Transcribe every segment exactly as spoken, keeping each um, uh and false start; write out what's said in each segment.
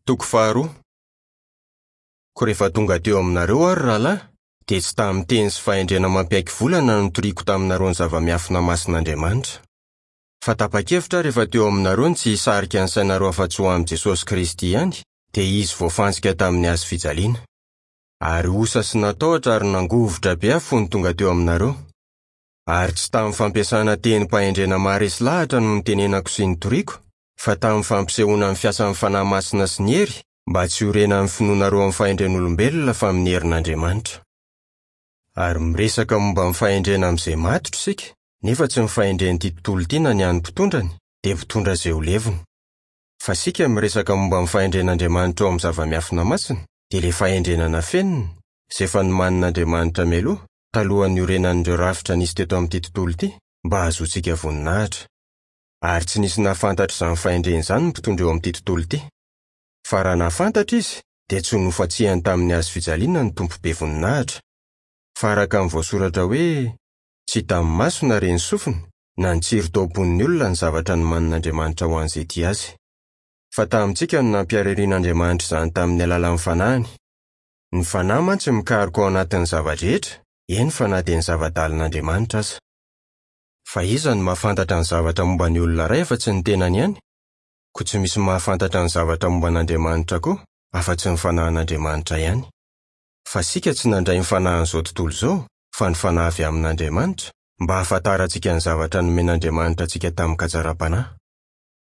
Toko faharoa. Koa rehefa tonga teo aminareo aho ry rahalahy, dia tsy tamin'ny teny sy fahendrena mampiaiky volana no nitoriako taminareo ny zava-miafina masin'Andriamanitra. Fa tapa-kevitra aho rehefa teo aminareo ny tsy hisarika ny sainareo afa-tsy ho amin'i Jesosy Kristy ihany, dia Izy voafantsika tamin'ny hazo fijaliana. Ary osa sy natahotra ary nangovitra be aho fony tonga teo aminareo. Ary tsy tamin'ny fampiasana tenim-pahendrena maharesy lahatra no nitenenako sy nitoriako, fa tamin'ny fampisehoana ny fiasan'ny Fanahy Masina sy ny hery, mba tsy hiorenan'ny finoanareo amin'ny fahendren'olombelona fa amin'ny herin'Andriamanitra. Ary miresaka momba ny fahendrena amin'izay matotra isika, nefa tsy ny fahendren'ity tontolo ity na ny an'ny mpitondrany, dia mpitondra izay ho levona. Fa isika miresaka momba ny fahendren'Andriamanitra ao amin'ny zava-miafina masina, dia ilay fahendrena nafenina, izay efa nomanin'Andriamanitra mialoha, talohan'ny niorenan'ireo rafitra nisy teto amin'ity tontolo ity, mba hahazoantsika voninahitra. Ary tsy nisy nahafantatra izany fahendrena izany ny mpitondra eo amin'ity tontolo ity. Fa raha nahafantatra izy, dia tsy ho nofantsihany tamin'ny hazo fijaliana ny Tompo be voninahitra. Fa araka ny voasoratra hoe, tsy hitan'ny maso na ren'ny sofina, na nitsiry tao am-pon'ny olona ny zavatra nomanin'Andriamanitra ho an'izay tia azy. Fa tamintsika no nampihariharian'Andriamanitra izany tamin'ny alalan'ny Fanahiny. Ny Fanahy mantsy mikaroka ao anatin'ny zava-drehetra, eny fa na dia ny zava-dalin'Andriamanitra aza. Fa iza no mahafantatra ny zavatra momba ny olona iray afa-tsy ny tenany ihany? Koa tsy misy mahafantatra ny zavatra momba an'Andriamanitra koa afa-tsy ny Fanahin'Andriamanitra ihany. Fa isika tsy nandray ny fanahin'izao tontolo izao, fa ny Fanahy avy amin'Andriamanitra, mba hahafantarantsika ny zavatra nomen'Andriamanitra antsika tamin-katsaram-panahy.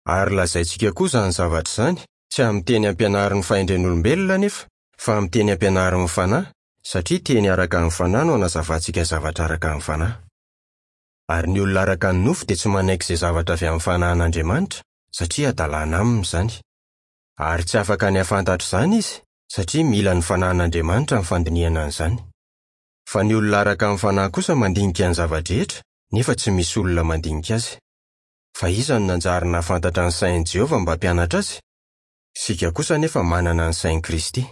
Ary lazaintsika koa izany zavatra izany, tsy amin'ny teny ampianarin'ny fahendren'olombelona anefa, fa amin'ny teny ampianarin'ny Fanahy, satria teny araka ny Fanahy no anazavantsika zavatra araka ny Fanahy. Ary ny olona araka ny nofo dia tsy manaiky izay zavatra avy amin'ny Fanahin'Andriamanitra, satria hadalana aminy izany. Ary tsy afaka ny hahafantatra izany izy, satria mila ny Fanahin'Andriamanitra ny fandinihana an'izany. Fa ny olona araka ny Fanahy kosa mandinika ny zava-drehetra, nefa tsy misy olona mandinika azy. Fa iza no nanjary nahafantatra ny sain'i Jehovah mba hampianatra azy? Isika kosa anefa manana ny sain'i Kristy.